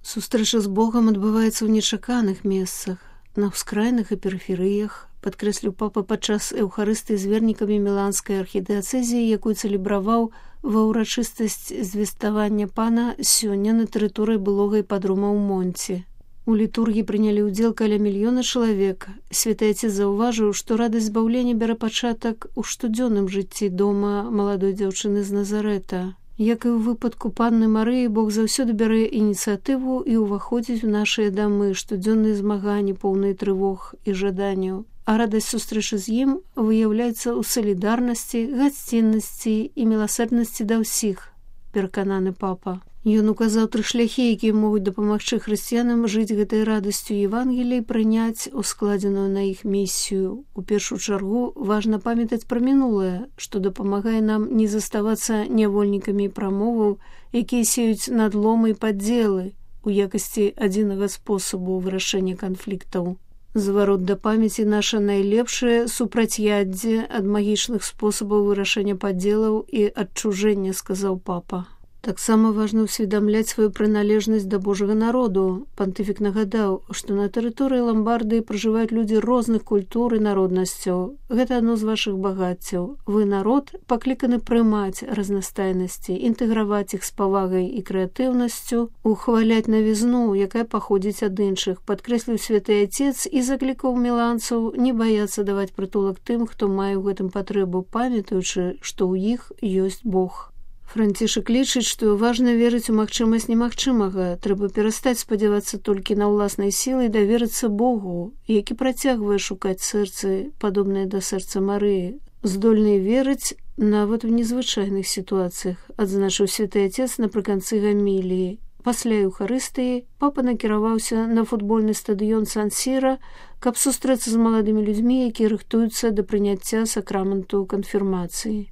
Сустрэча з Богам адбываецца ў нечаканых месцах, на ўскраінах і перыферыях, падкрэсліў папа падчас эўхарыстыі з вернікамі міланскай архідыацэзіі, якую цэлебраваў ва ўрачыстасць звеставання пана сёння на тэрыторыі былога іпадрома ў Монці. У літургіі прынялі ўдзел каля 1 мільёна чалавек. Святы Отец заўважыў, што радасць збаўлення бярэ пачатак у штодзённым жыцці дома маладой дзяўчыны з Назарэта. Як і ў выпадку панны Марыі, Бог заўсёды бярэ ініцыятыву і ўваходзіць у нашыя дамы, штодзённыя змаганні, поўныя трывог і жаданняў. А радасць сустрэчы з ім выяўляецца ў салідарнасці, гасціннасці і міласэрнасці да ўсіх, перакананы папа. Ён указаў 3 шляхі, якія могуць дапамагчы хрысціянам жыць гэтай радасцю Евангелія і прыняць ускладзеную на іх місію. У першую чаргу важна памятаць пра мінулае, што дапамагае нам не заставацца нявольнікамі прамоваў, якія сеюць надломы і падзелы у якасці адзінага спосабу вырашэння канфліктаў. Зварот да памяці наша найлепшае супрацьяддзе ад магічных спосабаў вырашэння падзелаў і адчужэння, сказаў папа. Таксама важна ўсведамляць сваю прыналежнасць да Божага народу. Пантыфік нагадаў, што на тэрыторыі Ламбардыі пражываюць людзі розных культур і народнасцяў. Гэта адно з вашых багаццяў. Вы, народ, пакліканы прымаць разнастайнасці, інтэграваць іх з павагай і крэатыўнасцю, ухваляць навізну, якая паходзіць ад іншых, падкрэсліў святы Отец і заклікаў міланцаў не баяцца даваць прытулак тым, хто мае ў гэтым патрэбу, памятаючы, што ў іх ёсць Бог. Францішак лічыць, што важна верыць у магчымасць немагчымага. Трэба перастаць спадзявацца толькі на ўласнай сілы і даверыцца Богу, які працягвае шукаць сэрцы, падобнае да сэрца Марыі, здольныя верыць нават у незвычайных сітуацыях, адзначыў святы Отец напрыканцы гаміліі. Пасля эўхарыстыі папа накіраваўся на футбольны стадыён Сан-Сіра, каб сустрэцца з маладымі людзьмі, якія рыхтуюцца да прыняцця сакраменту канфірмацыі.